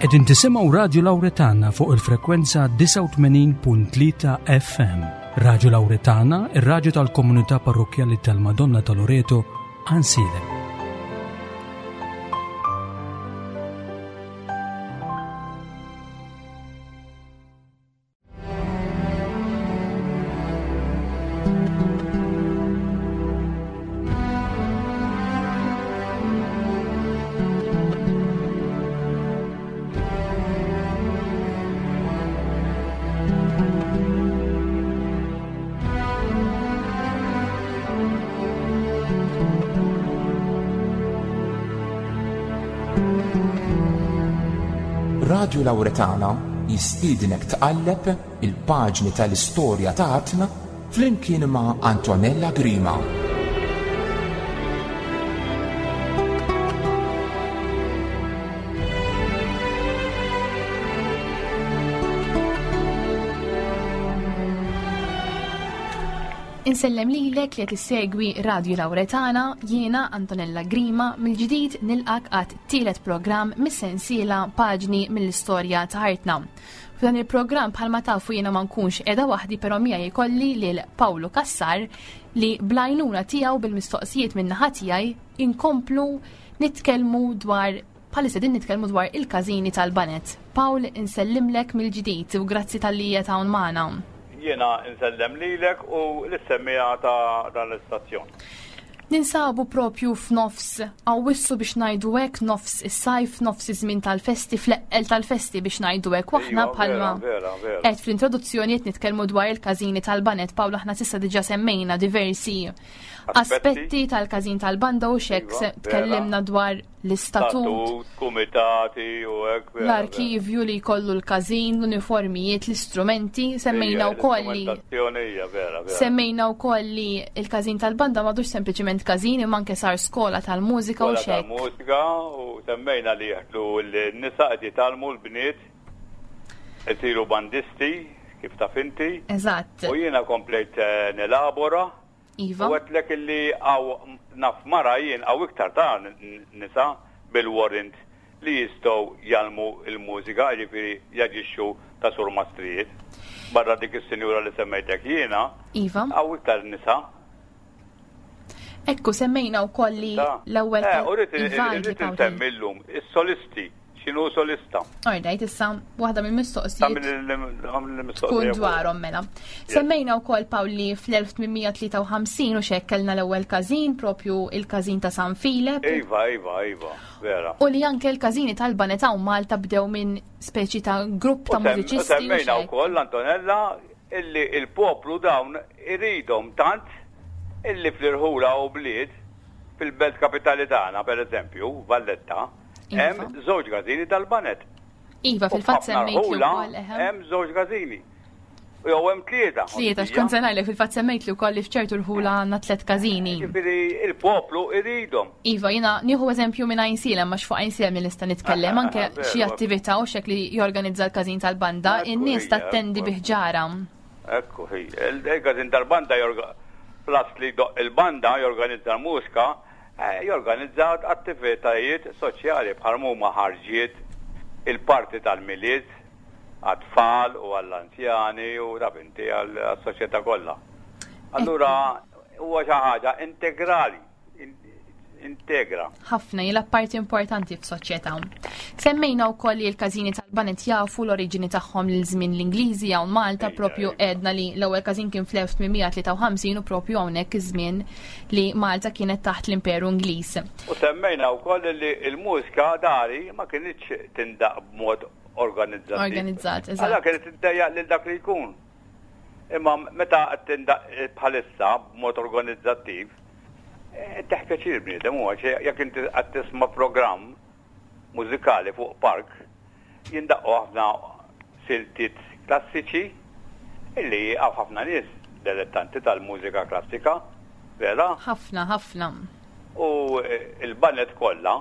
Qegħdin tisimgħu Radju Lawretana fuq il-frekwenza 89.3 FM. Radju Lawretana, ir-radju tal-komunità parrokkjali tal-Madonna ta' Loreto, Ansilem. Radju Lawretana jistiednek tqalleb il-paġni tal-istorja ta' artna flimkien ma' Antonella Grima. Insellem lilek li qed issegwi Radju Lawretana, jiena Antonella Grima mill-ġdid nilqak għat tielet programm mis-sensiela Paġni mill-Istorja ta' Artna. F'dan il-programm bħalma tafu jiena ma nkunx qiegħda waħdi però miegħi jkolli lil Pawlu Cassar li bl-għajnuna tiegħu bil-mistoqsijiet min-naħa tiegħi inkomplu nitkellmu dwar bħalissa din nitkellmu dwar il-każini tal-banet. Pawl insellimlek mill-ġdid u grazzi talli qiegħed hawn magħna. Jiena nsellem lilek u lis-semmiegħa ta' dan l-istazzjon. Ninsabu propju f'nofs Awwissu biex ngħidu hekk, nofs is-sajf, nofs iż-żmien tal-festi, fl-eqqel tal-festi biex ngħidu hekk. U aħna Iva, bħalma vera, vera, vera. qed fl-introduzzjoni qed nitkellmu dwar il-każini tal-banet. Pawl aħna s'issa diġà semmejna diversi aspetti tal-każin tal-banda u x'hekk Iva, se vera. tkellimna dwar l-istatut, Statut, kumitati u hekk. vera, l-arkivju li jkollu l-każin, l-uniformijiet, l-istrumenti, semmejna vera. wkoll li L-istrumentazzjoni hija vera, vera. Semmejna wkoll li l-każin tal-banda m'għadux sempliċiment każin imma anke sar skola tal-mużika u Skola x'hekk. tal-mużika u semmejna li jeħdu l-nisa qed jitgħallmu l-bniet isiru bandisti kif taf inti. Eżatt. U jiena komplejt eh, nelabora Iva. U għedtlek illi għaw naf mara jien għaw iktar ta' nisa bil-warrant li jistgħu jgħallmu il-mużika, jiġifieri jaġixxu ta' surmastrijiet. Barra dik is-sinjura li semmejtek jiena, Iva. għaw iktar nisa. Ekku semmejna wkoll li l-ewwel Eh, u rrid Iva, irrid Pawl. insemmi llum is-solisti, x'inhu solista? Alright, issa waħda mill-mistoqsijiet tkun dwarhom mela. Semmejna wkoll Pawl li fl-1853 u x'hekk kellna l-ewwel każin, propju il-każin ta' San Filep. Iva, iva, iva, vera. U li anke l-każini tal-banet hawn Malta bdew minn speċi ta' grupp ta' U sem- mużiċisti. u Semmejna x'hekk. wkoll Antonella illi il-poplu dawn iridhom tant illi fl-irħula u bliet fil-belt kapitali tagħna pereżempju, Valletta, Iva. hemm żewġ każini tal-banet. Iva, U fil-fatt f'ħafna semmejt li rħula wkoll eħe. Hemm żewġ każini. U jew hemm tlieta. Tlieta, x'kont se ngħidlek fil-fatt semmejt li wkoll li f'ċertu rħula għandna tliet każini. Ġifieri il-poplu iridhom. Iva, jiena nieħu eżempju minn Għajnsielem, għax fuq Għajnsielem li nista' nitkellem, anke Ah, veru, xi attività u x'hekk li jorganizza l-każin tal-banda, Ekku, in-nies hija, tattendi ekku. bi ħġara. Ekku, hi. Il-każin tal-banda jorga plus li doq il-banda jorganizza l-mużika, eh, jorganizza attivitajiet soċjali bħal huma ħarġiet, il-parti tal-milied għat-tfal u għall-anzjani u taf inti għall-soċjetà kollha. Allura huwa xi ħaġa integrali, in- integra. Ħafna jilgħab parti importanti f'soċjetà. Semmejna wkoll li l-każini tal-banet jafu l-oriġini tagħhom lil żmien l-Ingliżi hawn Malta Ejja, propju ejja. għedna li l-ewwel każin kien fl-1853 u propju hawnhekk iż-żmien li Malta kienet taħt l-Imperu Ingliż. U semmejna wkoll li l-mużika dari ma kinitx tindaq b'mod organizzat. Organizzat, eżatt. Allora kienet tiddejjaq lil dak li jkun. Imma meta qed tindaq bħalissa b'mod organizzattiv, eh, teħ pjaċir bniedem huwa xi jekk inti qed tisma' programm mużikali fuq park, jindaqqu ħafna siltiet klassiċi illi hawn ħafna nies dilettanti tal-mużika klassika, vera? Ħafna, ħafna. U eh, il-banet kollha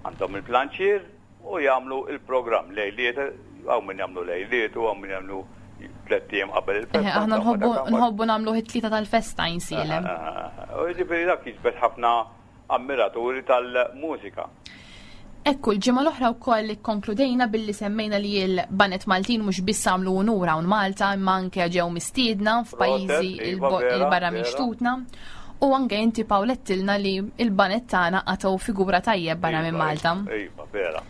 għandhom il-planċier u jagħmlu il-programm lejliet, hawn min jagħmlu lejliet u hawn min jagħmlu tlett ijiem qabel il-festa. Eh, Aħna nħobbu nħobbu nagħmlu it-tlieta tal-festa jinsielem. Eh, U jiġifieri dak jiġbed ħafna ammiraturi tal-mużika. Ekku, l-ġimgħa l-oħra wkoll ikkonkludejna billi semmejna li l-Banet Maltin mhux biss għamlu unur hawn Malta imma anke ġew mistiedna f'pajjiżi iva, il-barra minn xtutna. U anke inti Pawl għedtilna li l-banet tagħna qatgħu figura tajjeb barra minn iva, Malta. Iva, vera.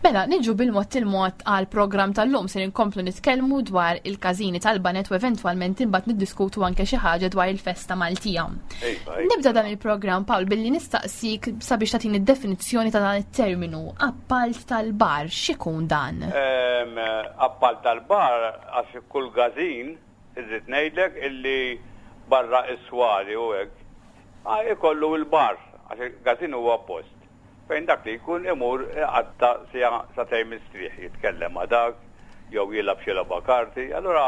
Mela, niġu bil-mod il-mod għal programm tal-lum se nkomplu nitkellmu dwar il-każini tal-banet u eventwalment imbagħad niddiskutu anke xi ħaġa dwar il-festa Maltija. Iva, iva. Nibda dan il-programm Pawl billi nistaqsik sabiex tagħtini d-definizzjoni ta' dan it-terminu appalt tal-bar, x'ikun dan? Appalt tal-bar għax kull każin irrid ngħidlek illi barra is-swali u hekk ikollu l-bar għax il-każin huwa post fejn dak li jkun imur iqatta' siegħa sagħtejn mistrieħ jitkellem ma' dak jew jilgħab xi logħba karti. Allura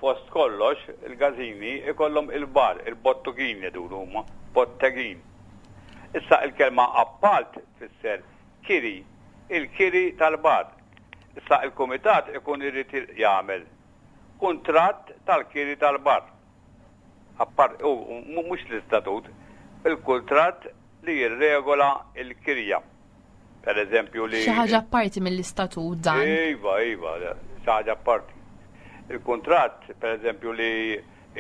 fost kollox il-każini ikollhom il-bar, il-bottugin jgħidulu huma, bottegin. Issa il-kelma appalt tfisser kiri, il-kiri tal-bar. Issa il-kumitat ikun irid jagħmel kuntratt tal-kiri tal-bar. Appart, u mhux l-istatut, il-kuntratt li jirregola l-kirja. Per eżempju li. Xi ħaġa apparti mill-istatut dan. Iva, iva, xi ħaġa apparti. Il-kuntratt, per eżempju li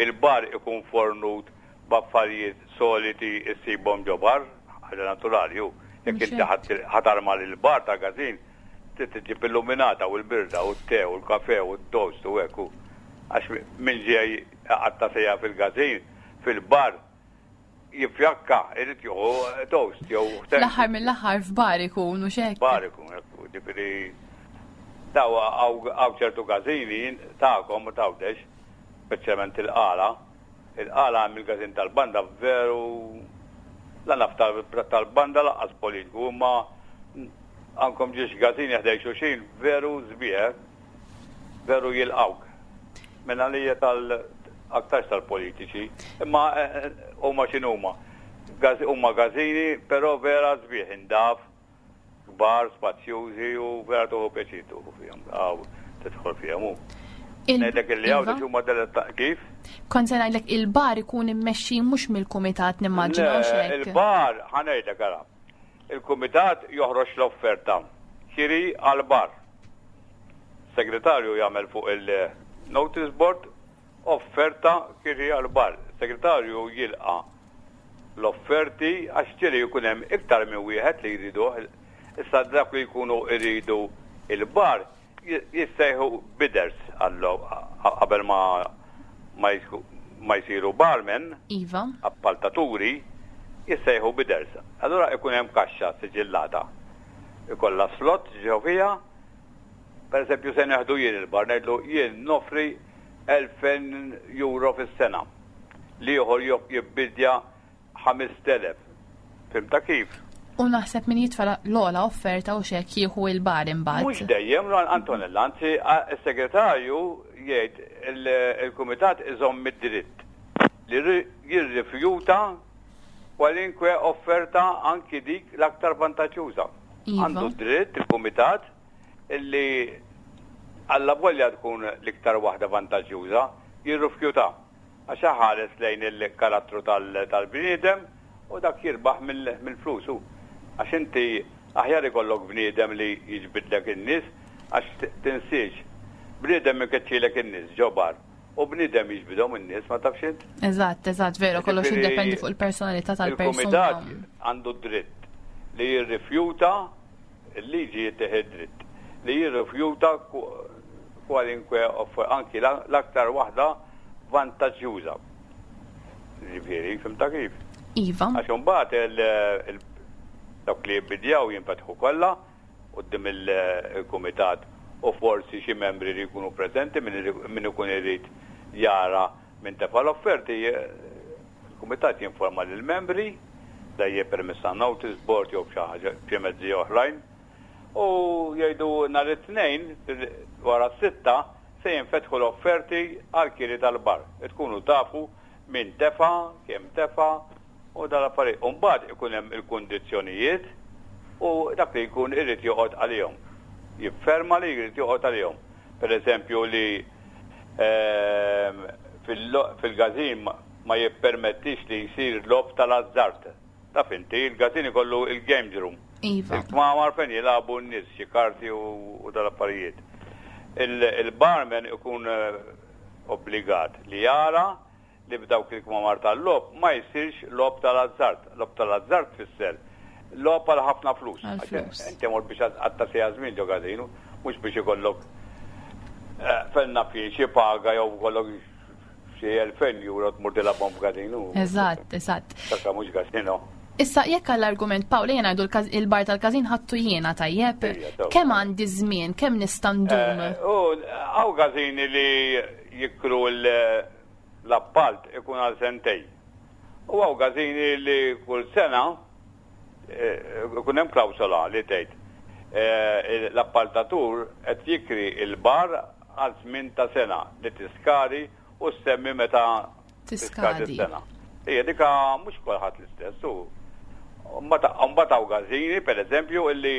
il-bar ikun fornut b'affarijiet soliti issibhom ġo bar, ħaġa naturali hu. Jekk inti ħa tarma lill-bar tal-każin, trid iġġib illuminata u l-birda u t-te u l-kafe u t-toast u hekk hu. Għax min ġej iqatta' siegħa fil-każin, fil-bar, jifjakka, irid jieħu toast jew. Fl-aħħar mill-aħħar f'bar ikun u xek. Bar ikun, ġifieri daw hawn ċertu każini tagħkom u tgħawdex, speċjalment il-qala. Il-qala hemm il-każin tal-banda veru la naf tal-banda lanqas politiku, imma għandkom ġiex każini ħdej xulxin veru sbieħ, veru jilqgħuk. Minn għalija tal aktarx tal-politiċi, imma eh, eh, huma x'inhuma. Huma gażini, però vera sbieħ indaf, kbar, spazjużi u vera tuħu pjaċir tuħu fihom, għaw tidħol fihom hu. Ngħidlek illi hawn iva. huma deletta kif? Kont se ngħidlek il-bar ikun immexxi mhux mill-kumitat nimmaġina Il-bar ħa ngħidlek ara. Il-kumitat joħroġ l-offerta kiri għal bar. Segretarju jagħmel fuq il-notice board offerta kiri għal bar. Segretarju jilqa l-offerti għax ġieli jkun hemm iktar minn wieħed li jriduh. Issa dak li jkunu jridu il-bar jissejħu bidders qabel ma ma jsiru barmen, Iva. appaltaturi, jissejħu bidders. Allura ikun hemm kaxxa siġillata. Ikollha slot ġew fiha Per eżempju, se neħdu jien il-bar, ngħidlu jien nofri 2000 euro fis-sena. L-ieħor jibbidja 5000. Fhimtha kif? U naħseb min jitfa' l-ogħla offerta u x'hekk jieħu il-bar imbagħad. Mhux dejjem, Antonella, anzi s-segretarju jgħid il-kumitat iżomm id-dritt li jirrifjuta kwalinkwe offerta anki dik l-aktar vantaġġjuża. Iva. Għandu dritt il-kumitat illi allavolja tkun l-iktar waħda vantaġġjuża, jirrifjuta. Għax iħares lejn il-karattru tal-bniedem u dak jirbaħ mill-flus hu. Għax inti aħjar ikollok bniedem li jiġbidlek in-nies għax tinsiex, bniedem ikeċċilek in-nies ġo bar u bniedem jiġbidhom in-nies ma tafx int? Eżatt, eżatt, veru, kollox jiddependi fuq il-personalità tal-persuna. Il-kumitat għandu dritt li jirrifjuta Il-liġi jittih id-dritt li jirrifjuta kwalinkwe offerta, anki l-aktar waħda vantaġġjuża. Ġifieri, fhimtha kif? Iva. Għax imbagħad dawk li jibbidjaw jinfetħu kollha quddiem il-kumitat u forsi xi membri li jkunu preżenti min ikun irid jara min tefa' l-offerti Il-Kumitat jinforma lill-membri, dejjem permezz ta' notice board jew b'xi ħaġa b'xi mezzi oħrajn, u jgħidu nhar it-Tnejn wara s-sitta se jinfetħu l-offerti għall-kiri tal-bar. Tkunu tafu min tefa', kemm tefa' u dal-affarijiet. U mbagħad ikun hemm il-kundizzjonijiet u dak li jkun irid joqgħod għalihom. Jifferma li jrid joqgħod għalihom. Per eżempju li ehm, fil-gazin ma jippermettix li jsir logħob tal-azzard. Taf inti, il-gazin ikollu il-games room. Iva. Il-kmamar fejn jilagħbu n-nies xi karti u dal-affarijiet. Il-barman ikun eh, obbligat li jara li f'dawk il-kmamar tal-logħob ma jsirx logħob tal-azzard. Logħob tal-azzard tfisser logħob għal ħafna flus. Għal flus. Inti mort biex tqatta' siegħa żmien ġo każinu, mhux biex ikollok eh, fejn naf jien xi paga jew ikollok xi 2000 euro tmur tilgħabhom f'każinu. Eżatt, eżatt. Dak mhux każino. Issa jekk għall-argument Pawl ejja ngħidu il-bar tal-każin ħadtu jiena tajjeb, kemm għandi żmien, kemm nista' ndum? Eh, u hawn każini li jikru l-appalt ikun għal sentej. U hawn każini li kull sena eh, ikun hemm klawsola li tgħid eh, l-appaltatur qed jikri il-bar għal żmien ta' sena li tiskadi u ssemmi meta tiskadi s-sena. Ija dika mhux kulħadd l-istess u mbagħad hawn gażini pereżempju illi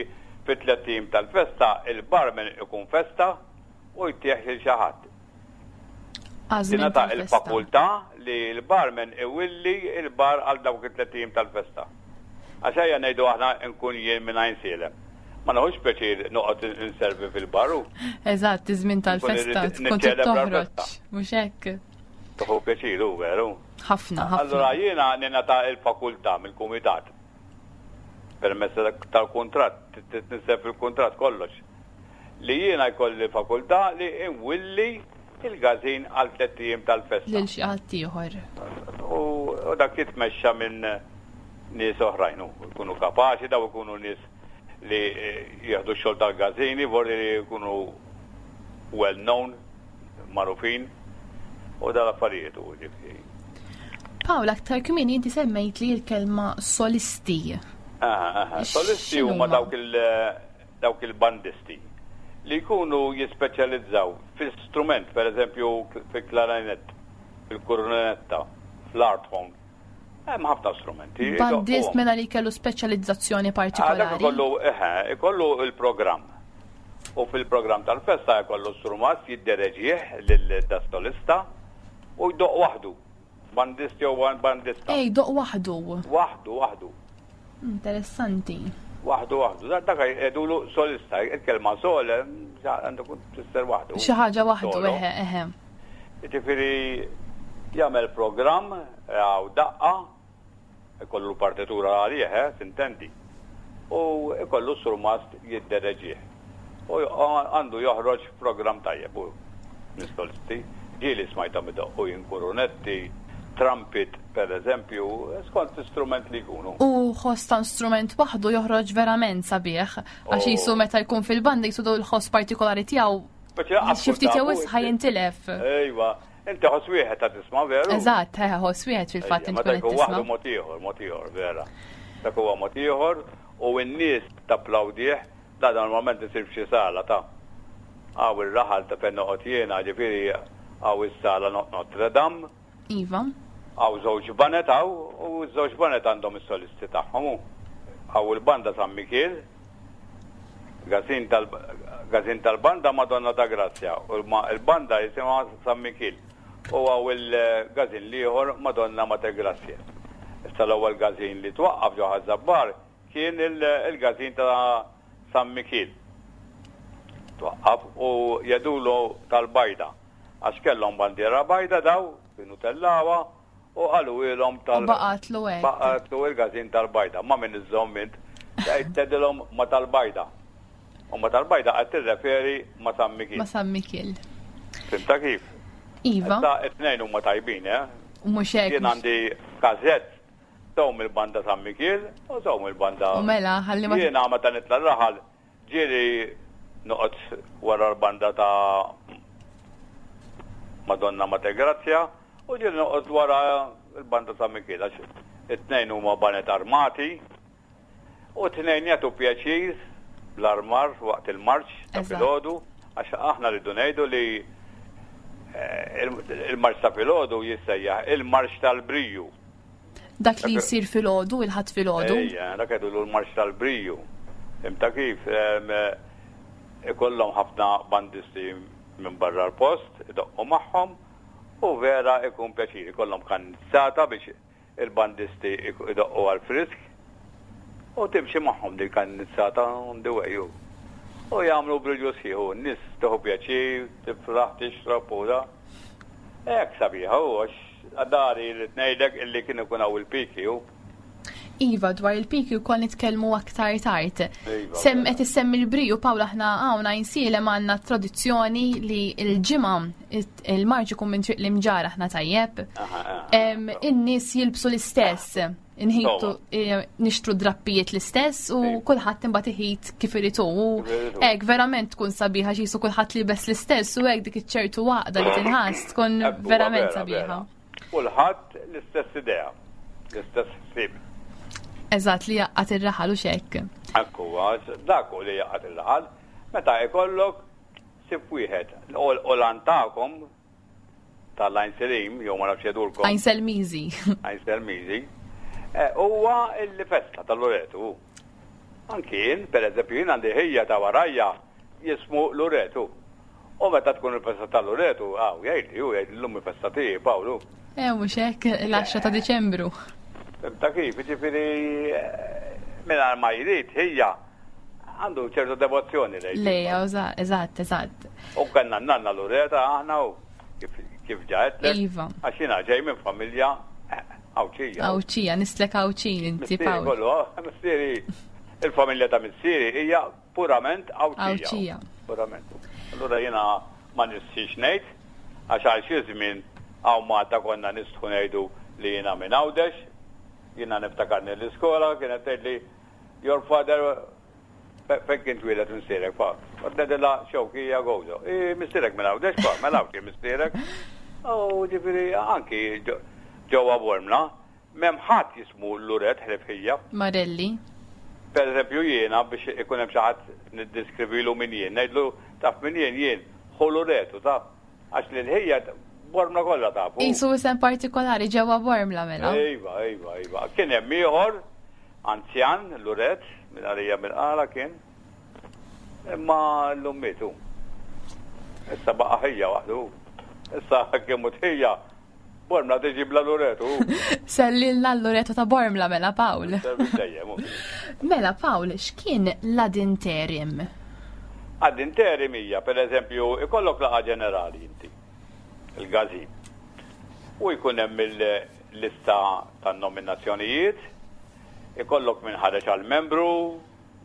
fit-tlett ijiem tal-festa il-barman ikun festa u jtih lil xi ħadd. Tingħata il-fakultà li l-barman iwilli l-bar għal dawk it-tlett ijiem tal-festa. Għax ejja ngħidu aħna nkun jien minn Għajnsielem. Ma neħux pjaċir noqgħod inservi fil-bar u. Eżatt, iż-żmien tal-festa tkun trid toħroġ, mhux hekk? Tieħu pjaċir hu veru. Ħafna, ħafna. Allura jiena ningħata l-fakultà mill-kumitat permezz tal-kuntratt, titniżżel fil-kuntratt kollox, li jiena jkolli fakultà li nwilli il-każin għal tlett ijiem tal-festa. Lil xi ħadd ieħor. U dak jitmexxa minn nies oħrajn, u jkunu kapaċi, daw ikunu nies li jieħdu x-xogħol tal-każini, vorri li jkunu well known, magħrufin, u dal-affarijiet u ġifieri. Pawl, aktar kmieni inti semmejt li l-kelma solisti. Aha, aha. Solisti huma dawk il- dawk il-bandisti li jkunu jispeċjalizzaw fi strument, per eżempju fil-klarinett, fil-kurunetta, fl-arthorn. Hemm ħafna strumenti. Bandist mela li kellu speċjalizzazzjoni partikolari. Dak ikollu, eħe, ikollu il-programm. U fil-programm tal-festa jkollu strumat jiddereġih lil-solista u jdoqq waħdu. Bandist jew bandista. Ej, doq waħdu. Waħdu, waħdu. Interessanti. Waħdu, waħdu. Dak jgħidulu solista. Il-kelma sol għandu kun tfisser waħdu. Xi ħaġa waħdu, eħe, eħe. Jiġifieri jagħmel programm għaw daqqa, ikollu partitura għalih, eh, tintendi. U ikollu surmast jiddereġih. U għandu joħroġ programm tajjeb u mis-solisti. Ġieli smajthom idoqqu jien kurunetti, trumpet per eżempju, skont l-istrument li jkunu. U ħoss ta' strument waħdu joħroġ verament sabiħ, għax qisu meta jkun fil-banda qisu l-ħoss partikolari tiegħu xi ftit jew wisq ħa jintilef. Ejwa, inti ħoss wieħed ta' tisma' veru? Eżatt, ħoss wieħed fil-fatt inti tkun qed tisma'. Waħdu mod ieħor, mod ieħor, vera. Dak huwa mod ieħor u n-nies tapplawdih Dan normalment isir f'xi sala ta' hawn ir-raħal ta' fejn noqgħod jiena, ġifieri hawn is-sala Notre Dame. Iva. Hawn żewġ baned hawn u ż-żewġ baned għandhom is-solisti tagħhom u hawn il-banda San Mikiel, Gazin tal Gazin tal-banda Madonna ta' Grazzja u l-banda jisimha San Mikiel u hawn il-gazin l-ieħor Madonna Mater Grazie. Issa l-ewwel gazin li twaqqaf ġo Ħaż-Żabbar Kien il-każin ta' San Mikiel twaqqaf u jgħidulu tal-bajda għax kellhom bandiera bajda daw kienu tellgħuha u qaluhielhom tal U baqgħetlu hekk. Baqgħetlu il-każin tal-bajda. Ma' min iżżomm int? Tgħid tgħidilhom ma' tal-bajda. U ma' tal-bajda qed tirreferi ma' San Mikiel. Ma' San Mikiel. Fhimtha kif? Iva. Issa it-tnejn huma tajbin, eh? Mhux hekk. Jien għandi każett Sew mill-banda San Mikiel u sew mill-banda. U mela, ħalli ma. Jiena meta nitla' r-raħal ġieli noqgħod wara l-banda ta' Madonna Mater Grazzja u ġieli noqgħod wara l-banda San Mikiel għax it-tnejn huma baned armati u t-tnejn jagħtu pjaċir bl-armar waqt il-marċ ta' filgħodu għax aħna rridu ngħidu li eh, il-marċ ta' filgħodu jissejjaħ il-marċ tal-briju. Dak li jsir filgħodu, il-Ħadd filgħodu. Ejja, dak jgħidulu l-marċ tal-briju. Imta kif ikollhom ħafna bandisti minn barra l-post, idoqqu magħhom u vera ikun pjaċir. Ikollhom kannizzata biex Il-bandisti idoqqu għall-frisk u timxi magħhom dik il-kannizzata on the way u u jagħmlu brilju sħiħ u n-nies tieħu pjaċir, tifraħ, tixrob u da. Hekk sabiħa u għax dari rrid ngħidlek illi kien ikun hawn il-piki u. Iva, dwar il-piki wkoll nitkellmu aktar tard. Iva, Sem qed issemmi l-briju Pawl aħna hawn Għajnsielem għandna tradizzjoni li l-ġimgħa il-marċ ikun minn triq l-imġar aħna tajjeb. In-nies jilbsu l-istess. Inħitu eh, nixtru drappijiet l-istess u kulħadd imbagħad iħit kif irid hu. Hekk verament tkun sabiħa xisu kulħadd libes l-istess u hekk dik iċ-ċertu għaqda li tinħass tkun verament sabiħa. Kulħadd l-istess idea, l-istess ħsieb. Eżatt li jaqgħad ir-raħal u xekk. Ekku, dak li jaqgħad ir-raħal, meta jkollok Sib wieħed, u l-għan tagħkom tal-Għajn Selim, jew ma nafx jedulkom. Għajn Selmiżi. Għajn Selmiżi. Eh, huwa il-festa tal-Loretu. Anki jien, per eżempju, jien għandi ħija ta' warajja jismu Loretu. U meta tkun il-festa tal-Loretu, għaw, jgħid ju, jgħid l-lum il-festa tiegħi, Pawlu. Eh, mhux hekk, l-10 ta' Diċembru. Ta' kif, ġifieri, eh, minn ma jrid ħija Għandu ċertu devozzjoni lejn. Lejja, eżatt, eżatt. U kellna nanna Lureta aħna u kif ġaħet. Iva. Għax jiena ġej minn familja eh, Għawċija. Għawċija, nislek Għawċin inti Pawl. Kollu, oh, missieri, il-familja ta' missieri hija purament Għawċija. Għawċija. Purament. Allura jiena ma nistħix ngħid, għax għal xi żmien hawn Malta konna nistħu ngħidu li jiena minn Għawdex, jiena niftakarni l-iskola kienet tgħidli Your father fejn kien twieled missierek pa? Kont ngħidilha Xewkija Gozo. I missierek minn Għawdex pa, mela Għawdxi missierek. U ġifieri anki ġewwa Bormla m'hemm ħadd jismu Luret ħlief ħija. Marelli. Per eżempju jiena biex ikun hemm xi ħadd niddeskrivilu min jien, ngħidlu taf min jien jien ħu Luret u taf. Għax lil ħija Bormla kollha tafu. Qisu isem partikolari ġewwa Bormla mela. Iva, iva, iva. Kien hemm ieħor anzjan, Luret, minn għalija mill-qala kien. Imma llum mietu. Issa baqa' ħija waħdu. Issa kemm ħija Bormla tiġi bla Loreto. Sellilna l-Loreto ta' Bormla mela Pawl. Mela Pawl, x'kien l-ad interim? Ad interim hija, per eżempju, ikollok laqgħa ġenerali inti, il-gazin. U jkun hemm il-lista tan-nominazzjonijiet, ikollok min ħareġ għal membru,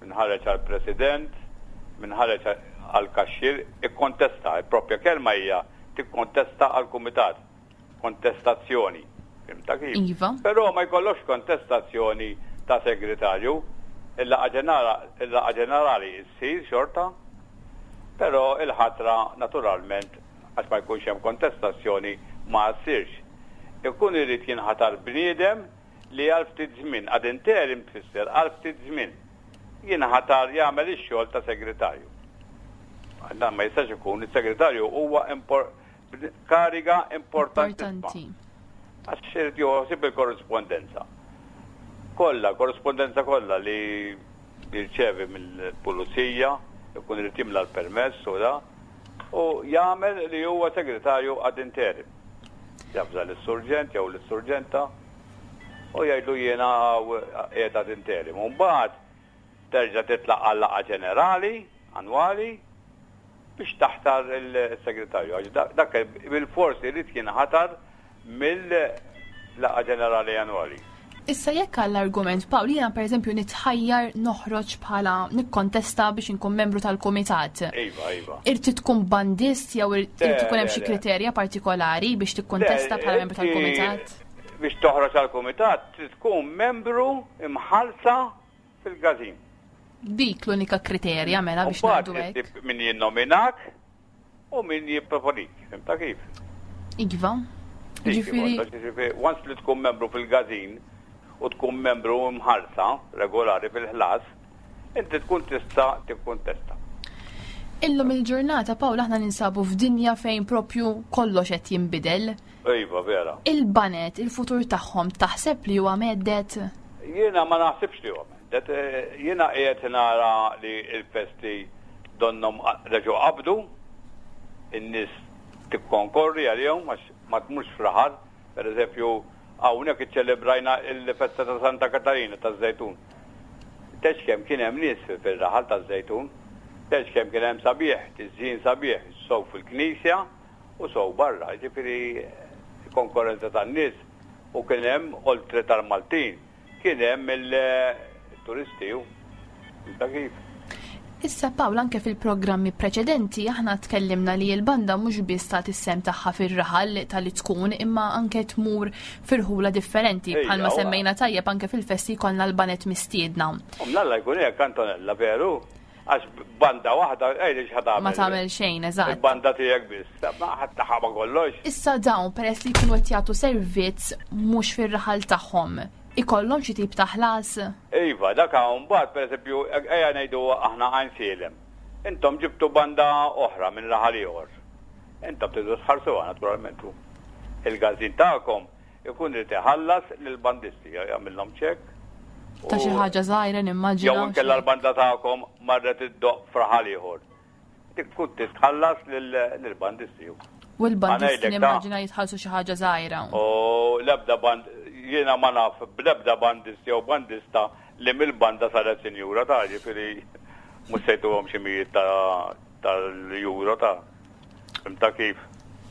min ħareġ għal president, min ħareġ għal kaxxier, ikkontesta, il-propja kelma hija tikkontesta għal kumitat, kontestazzjoni. Fhimta kif? Iva. Però ma jkollokx kontestazzjoni ta' segretarju, il-laqgħa ġenerali ssir xorta, però il-ħatra naturalment għax ma jkunx hemm kontestazzjoni ma ssirx. Ikun irid jinħatar bniedem li għal ftit żmien, ad interim tfisser għal ftit żmien, jinħatar jagħmel ix-xogħol ta' segretarju. Dan ma jistax ikun, is-segretarju huwa kariga importantissima. Għax irid joħsib il-korrispondenza. Kollha, korrispondenza kollha li jirċevi mill-pulizija, ikun irid jimla l-permess u da, u jagħmel li huwa segretarju ad interim. Jafza lis-surġent jew lis-surġenta u jgħidlu jiena qiegħed ad interim. U mbagħad terġa' titlaq għal laqgħa ġenerali annwali biex taħtar il-segretarju. Għax dak bil-fors irid jinħatar mill-laqgħa ġenerali annwali. Issa jekk għall-argument Pawl jiena pereżempju nitħajjar noħroġ bħala nikkontesta biex inkun membru tal-kumitat. Iva, iva. Irti tkun bandist jew irid ikun hemm xi kriterja partikolari biex tikkontesta bħala membru tal-kumitat? Biex toħroġ għall-kumitat trid tkun membru imħallsa fil-każin. Dik l-unika kriterja mela biex ngħidu hekk. Min jinnominak u min jipproponik, fimta kif? Iva. Ġifieri, once li tkun membru fil-gazin u tkun membru mħarsa regolari fil-ħlas, inti tkun tista' tikkuntesta. Illum il-ġurnata, Pawl, aħna ninsabu f'dinja fejn propju kollox qed jinbidel. Iva, vera. Il-banet, il-futur tagħhom taħseb li huwa medded? Jiena ma naħsibx li huwa medded. Jiena qiegħed nara li l-festi donnhom reġgħu qabdu, in-nies tikkonkorri għalihom għax ma tmurx f'raħal. Per eżempju, Hawnhekk iċċelebrajna l-festa ta' Santa Katarina taż-Żejtun. Tgħidx kemm kien hemm nies fir-raħal taż-Żejtun. Tgħidx kemm kien hemm sabiħ, tiżjin sabiħ, sew fil-knisja u sew barra. Jiġifieri konkorrenza tan-nies u kien hemm oltre tal-Maltin Kien hemm il-turisti u ta' kif. Issa Pawl anke fil-programmi preċedenti aħna tkellimna li l-banda mhux biss tagħti s-sem tagħha fir-raħal tal-li tkun imma anke tmur fir-ħula differenti bħalma semmejna tajjeb anke fil-festi jkollna l-banet mistiedna. U mnalla jkun hekk Antonella veru għax banda waħda ejli x'ħa Ma tagħmel xejn, eżatt. Il-banda tiegħek biss, ma ħadd taħaba kollox. Issa dawn peress li jkunu qed jagħtu servizz mhux fir-raħal tagħhom ikollhom xi tip ta' ħlas? Iva, dak hawn mbagħad pereżempju ejja ngħidu aħna Għajnsielem. Intom ġibtu banda oħra minn raħal ieħor. Intom tridu tħarsuha naturalment u il-każin tagħkom ikun irid iħallas lill-bandisti, jagħmilhom ċekk. Ta' xi ħaġa żgħira nimmaġina. Jew inkella l-banda tagħkom marret iddoqq f'raħal ieħor. Dik tkun titħallas lill-bandisti. U l-bandisti nimmaġina jitħallsu xi ħaġa żgħira. U l-ebda band jiena ma naf bl-ebda bandist jew bandista li mill-banda saret sinjura ta' ġifieri mhux se jtuhom xi mijiet tal-euro ta' ta' kif.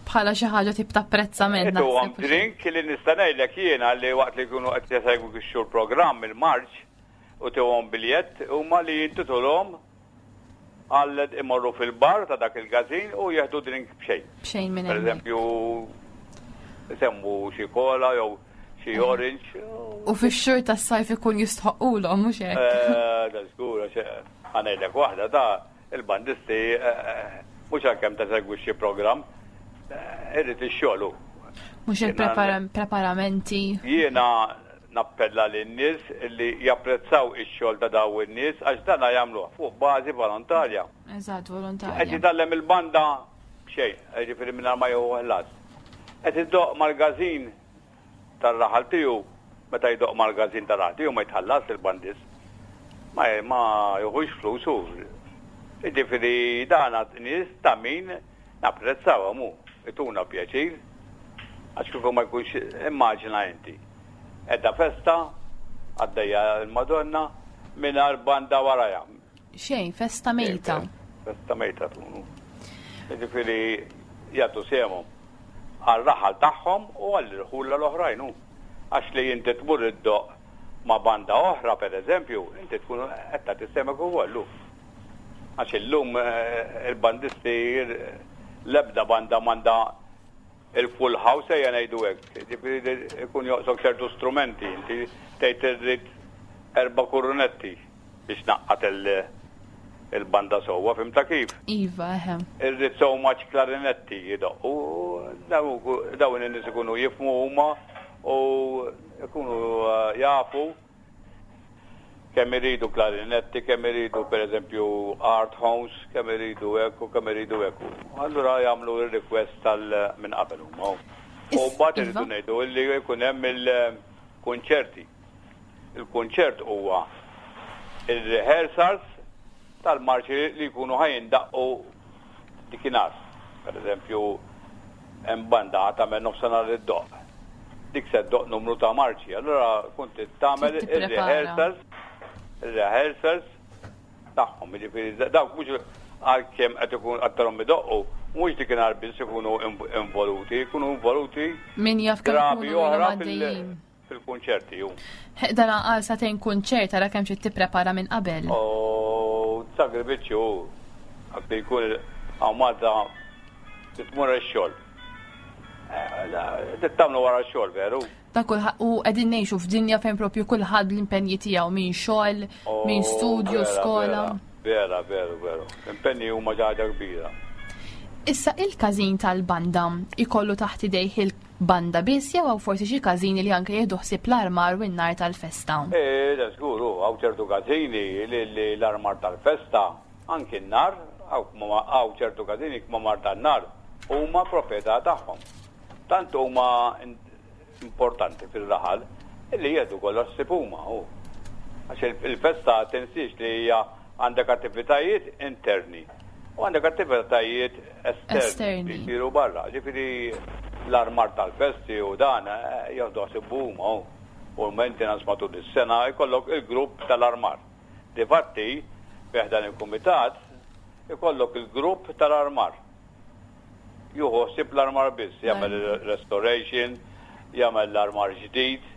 Bħala xi ħaġa tip ta' apprezzament. Ituhom drink li nista' ngħidlek jiena li waqt li jkunu qed jesegwu x-xhur programm il-marċ u tuhom biljett huma li jintitulhom Għal imorru fil-bar ta' dak il-każin u jieħdu drink b'xejn. B'xejn minn Per eżempju, isemmu xi kola jew xi orange. U fix-xhur tas-sajf ikun jistħoqqulhom mhux hekk. Eh, da żgur għax eh, ħa ngħidlek waħda ta' il-bandisti eh, mhux għalkemm tesegwi xi programm, irrid ix-xogħol hu. Mhux il-preparamenti. Jiena Nappella lin-nies li japprezzaw ix-xogħol ta' dawn in-nies għax dana jagħmluh fuq bażi volontarja. Eżatt, volontarja. Qed jitgħallem il-banda b'xejn, jiġifieri mingħajr ma jieħu ħlas. Qed idoqq mal-każin tar-raħal tiegħu, meta jdoqq mal-każin tar-raħal tiegħu ma jitħallasx il-bandist. Ma ma jieħux flus hu. Jiġifieri dana nies ta' min Napprezzawhom u ituna pjaċir għax kieku ma jkunx immaġina inti. Qiegħda festa, għaddejja l-Madonna mingħajr banda warajha. Xejn, festa mejta. Festa mejta tkun. Jiġifieri jagħtu sehemhom għar-raħal tagħhom u għall-irħula l-oħrajn hu. Għax li inti tmur iddoqq ma' banda oħra pereżempju, inti tkun qed tagħti sehemek ukoll hu. Għax illum il-bandisti l-ebda banda m'għandha il-full house ejja ngħidu hekk. Ġifieri ikun joqsok ċertu strumenti, inti tgħid irrid erba' kurunetti biex naqqat il-banda sewwa, fimta kif? Iva, eħe. Irrid so much klarinetti jidoqqu, dawn in-nies ikunu jifhmu huma u jkunu jafu Kemm iridu klarinetti, kemm iridu pereżempju art homes, kemm iridu hekk u kemm iridu hekk. Allura jagħmlu r-request tal minn qabel huma. U mbagħad irridu iva. ngħidu li jkun hemm il-kunċerti. Il-kunċert huwa il-rehearsals tal-marċi li jkunu ħa jindaqqu dikinhar. Per eżempju, hemm banda ħa tagħmel nofsinhar iddoqq. Dik se ddoqq numru ta' marċi. Allura tkun trid tagħmel ir-rehearsals, ir-rehearsals tagħhom. Jiġifieri dawk mhux għalkemm qed ikun qed tarhom idoqqu, mhux dikinhar biss ikunu involuti, jkunu involuti Min jaf kemm drabi ikunu oħra għaddejjin. fil-kunċerti hu. Dan għal sagħtejn kunċert ara kemm trid tipprepara minn qabel. U sagrifiċċju hu dak li jkun hawn Malta trid tmur għax-xogħol. Eh, trid tagħmlu wara x-xogħol veru. Ta' kulħadd u qegħdin ngħixu f'dinja fejn propju kulħadd l-impenji tiegħu minn xogħol, minn studju, skola. Vera, veru, veru. L-impenji huma xi ħaġa kbira. Issa il-każin tal-banda ikollu taħt idejh il-banda biss jew hawn forsi xi każini li anke jieħdu ħsieb l-armar u n-nar tal-festa? Eh, da żgur hu, hawn ċertu każini li l-armar tal-festa, anki n-nar, hawn ċertu każini kmamar tan-nar huma proprjetà tagħhom. Tant huma importanti fir-raħal illi jieħdu kollox ħsieb huma hu. Għax il-festa tinsiex li hija għandek attivitajiet interni u għandek attivitajiet esterni li jsiru barra. Ġifieri. L-armar tal-festi u dan jieħdu ħsieb huma u l-maintenance matul is-sena jkollok il-grupp tal-armar. Difatti, fi ħdan il-kumitat ikollok il-grupp tal-armar. Jieħu ħsieb l-armar biss, jagħmel restoration, jagħmel l-armar ġdid,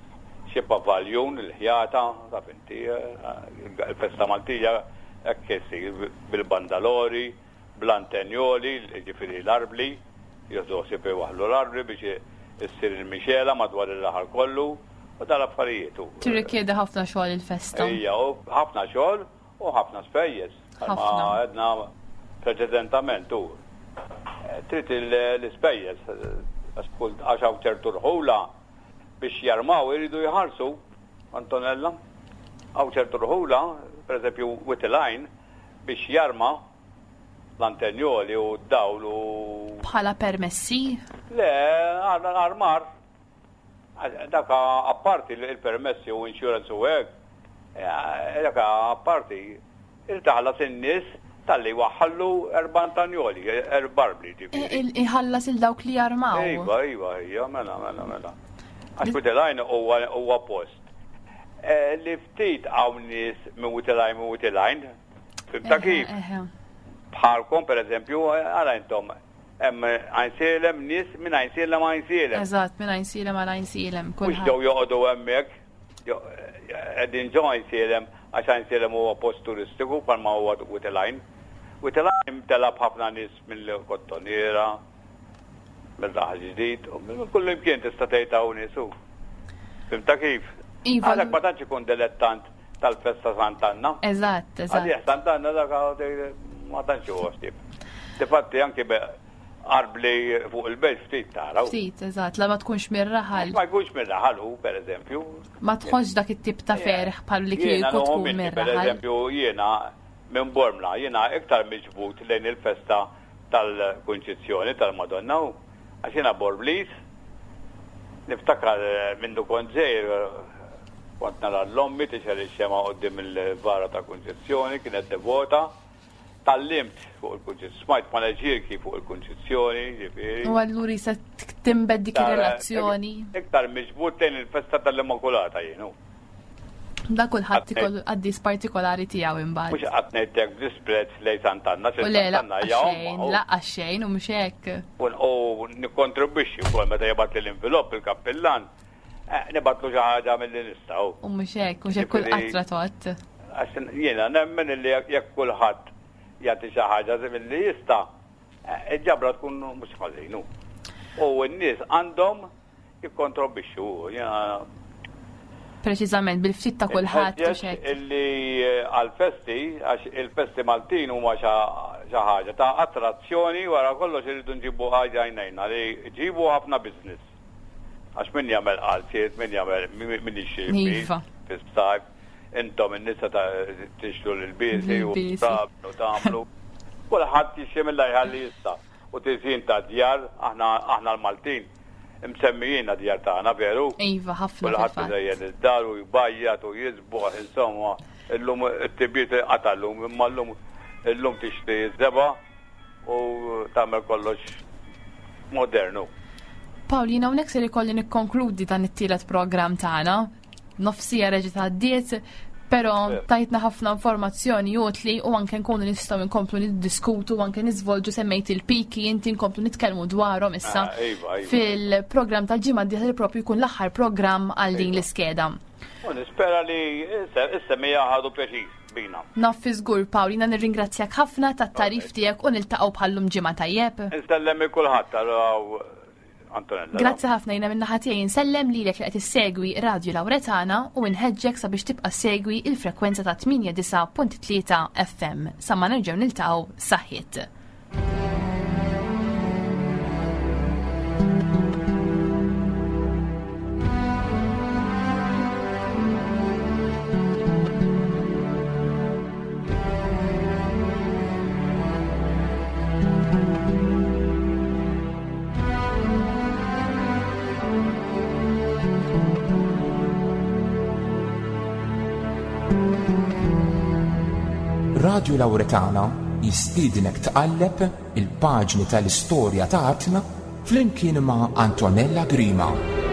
xi pavaljun, il-ħjata, taf inti, il-festa Maltija hekk issir bil-bandalori, bl-antenjoli, jiġifieri l-arbli, jieħdu ħsieb iwaħħlu l-arbli biex issir il-mixela madwar ir-raħal kollu u dal-affarijiet. Tirrikjedi ħafna xogħol il-festa. Ejja, ħafna xogħol u ħafna spejjeż. Bħalma għedna preċedentament u trid l-ispejjeż għax hawn ċertu rħula biex jarmaw iridu jħallsu, Antonella. Hawn ċertu rħula, pereżempju Wied il-Għajn, biex jarma l-antenjoli u d-dawl u. Bħala permessi? Le, armar. Dak apparti il-permessi u insurance u hekk, dak apparti irid taħlas in-nies talli waħħallu erbantanjoli, erbarbli ġifieri. Iħallas il dawk li jarmaw. Iva, iva, iva, mela, mela, mela. Għax Wied huwa post eh, li ftit hawn nies minn Wied minn Wied Fimta kif? Bħalkom pereżempju, għala intom Hemm Għajnsielem nies minn Għajnsielem Għajnsielem. Eżatt, minn Għajnsielem għal Għajnsielem. Mhux ġew joqogħdu hemmhekk, qegħdin ġo Għajnsielem għax Għajnsielem huwa post turistiku bħalma huwa Wied il-Għajn. Wied il-Għajn imtela b'ħafna nies mill-Kottonera, mill-Raħal Ġdid, u minn kull imkien tista' tgħid hawn nies hu. Fimta kif? Iva. Għalhekk ma tantx ikun dilettant tal-festa Sant'Anna. Eżatt, eżatt. Għalih Sant'Anna dak ma tantx huwa ħsieb. Difatti anki arbli fuq il-belt ftit tara. Ftit, eżatt, la ma tkunx mir-raħal. Ma jkunx mir-raħal hu, per eżempju. Ma tħossx dak it-tip ta' ferħ bħal li kieku tkun mir-raħal. Per eżempju, jiena minn Bormla, jiena iktar miġbud lejn il-festa tal-Kunċizzjoni tal-Madonna u għax jiena Bormliż, niftakar mindu kont żgħir kont nara l-ommi tixgħel ix-xemgħa quddiem il-vara tal-Kunċizzjoni, kienet devota. Tgħallimt fuq il-Kunċizzjoni, smajt paneġirki fuq il-Kunċizzjoni, ġifieri. U allura jisa timbed dik ir-relazzjoni. Iktar miġbud lejn il-festa tal-Immakulata jien hu. Da kulħadd ikollu qaddis partikolari tiegħu imbagħad. Mhux qatt ngħidlek b'disprezz lejn Sant'Anna, xi Sant'Anna hija xejn, laqas xejn u mhux hekk. U nikkontribwixxi wkoll meta jibgħat l-invilopp il-kappillan, eh, nibatlu xi ħaġa milli nistgħu. U mhux hekk, mhux hekk kull qatra tgħodd. Għax jiena nemmen illi jekk kulħadd jagħti xi ħaġa milli jista', eh, il-ġabra tkun mhux ħażinu. U n-nies għandhom jikkontrobixxu. Jiena Preċiżament, bil-ftit ta' kulħadd. Illi eh, għal-festi, għax il-festi Maltin huma xi ħaġa ta' attrazzjoni wara kollox irridu nġibu ħaġa għajnejna li ġibu ħafna business. Għax min jagħmel qalziet, min jagħmel min jixtri iva. fis-sajf, intom in-nisa ta' tixtru l-biesi u tagħmlu. Kulħadd jixtri mill-ajħalli jista' U tiżjin ta' djar, aħna aħna l-Maltin imsemmijin għad-djar tagħna, veru? Iva, ħafna. Kulħadd iżejjen id-dar u jbajjat u jiżboħ, insomma, illum it-tibjiet inqata' llum, imma llum illum tixtri ż-żebgħa u tagħmel kollox modernu. Pawl, jiena hawnhekk ser ikolli nikkonkludi dan it-tielet programm tagħna. Nofsija reġgħet għaddiet, però tajtna ħafna informazzjoni utli u anke nkunu nistgħu nkomplu niddiskutu u anke niżvolġu semmejt il-piki inti nkomplu nitkellmu dwarhom issa ah, iva, iva. fil-programm tal-ġimgħa d-dieħla li propju jkun l-aħħar programm għal din iva. l-iskeda. U nispera li is-semija ħadu pjaċir bina. Naf fi żgur Pawl, jiena nirringrazzjak ħafna tat-tarif tiegħek u niltaqgħu bħallum ġimgħa tajjeb. Insellem kulħadd għal Antonella. Grazzi ħafna jiena min-naħa tiegħi insellem lilek li qed issegwi Radio Lauretana u nħeġġek sabiex tibqa' segwi il-frekwenza ta' 89.3 FM. Sa ma nerġgħu niltaqgħu saħħiet. Radju Lauretana jistiednek tqalleb il-paġni tal-istorja ta' artna. flimkien ma' Antonella Grima.